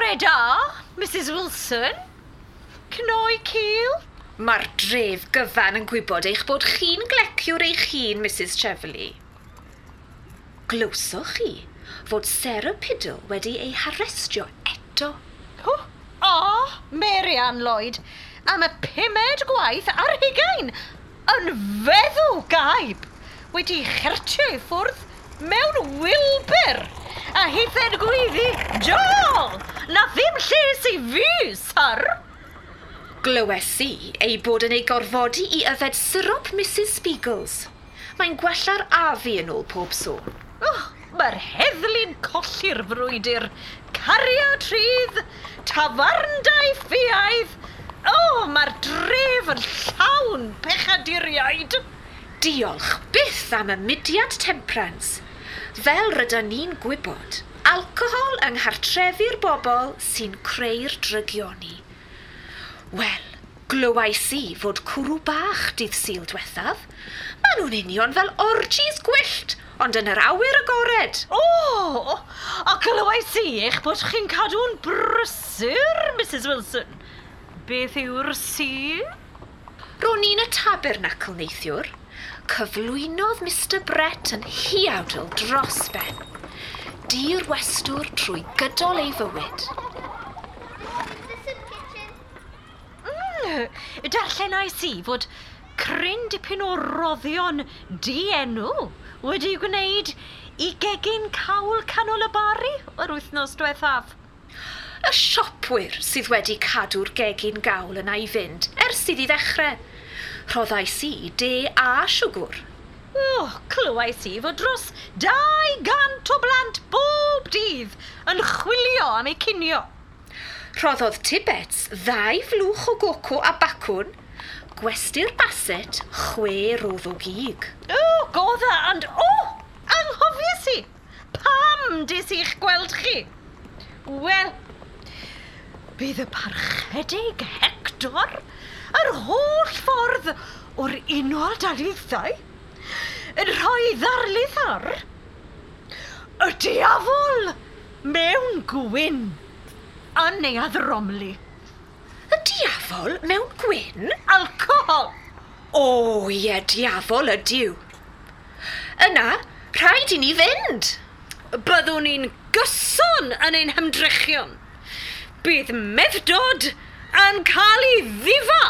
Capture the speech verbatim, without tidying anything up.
Bore da, Missus Wilson. Cnoi cil? Mae'r dref gyfan yn gwybod eich bod chi'n gleciwr eich hun, Missus Cheverly. Glywsoch chi fod Sarah Piddle wedi ei harestio eto? O, o, Mary Ann Lloyd, am y pumed gwaith ar hugain, yn feddw gaib, wedi chertio i ffwrdd mewn wilbyr, a hithen gweiddi, "Jôl, na ddim lles i fi, sir!" Glywes i ei bod yn ei gorfodi i yfed syrop Missus Spiegels. Mae'n gwella'r afu yn ôl pob sôn. Oh, mae'r heddlu'n colli'r frwydr. Cariad rhydd, tafarndai ffiaidd. O, mae'r dref yn llawn pechaduriaid. Diolch byth am y mudiad temperance. Fel rydyn ni'n gwybod, alcohol yng nghartrefi'r bobl sy'n creu'r drygioni. Wel, glywais i fod cwrw bach dydd Sul diwethaf. Maen nhw'n union fel orgies gwyllt, ond yn yr awyr agored. O, a glywais i eich bod chi'n cadw'n brysur, Missus Wilson. Beth yw'r si? Ro'n i'n y tabernacl neithiwr. Cyflwynodd Mister Brett yn huawdl dros ben. Dirwestwr trwy gydol ei fywyd. Mm, darllenais i fod cryn dipyn o roddion dienw wedi gwneud i gegin cawl canol y Bari yr wythnos diwethaf. Y siopwyr sydd wedi cadw'r gegin gawl yna i fynd ers iddi ddechrau. Rhoddais i de a siwgr. O, clywais i fod dros dau gant o blant bob dydd yn chwilio am eu cinio. Rhoddodd Tibbets ddau flwch o goco a bacwn, gwesty'r Basset chwe rodd o gig. O, godda, and o, anghofies i! Pam des i'ch gweld chi? Wel, bydd y parchedig Hector yr holl ffordd o'r Unol Daleithiau yn rhoi ddarlith ar y diafol mewn gwyn yn Neuadd Romley. Y diafol mewn gwyn? Alcohol! O, ie, diafol ydyw. Yna, rhaid i ni fynd. Byddwn ni'n gyson yn ein hymdrechion. Bydd meddwdod yn cael ei ddifa.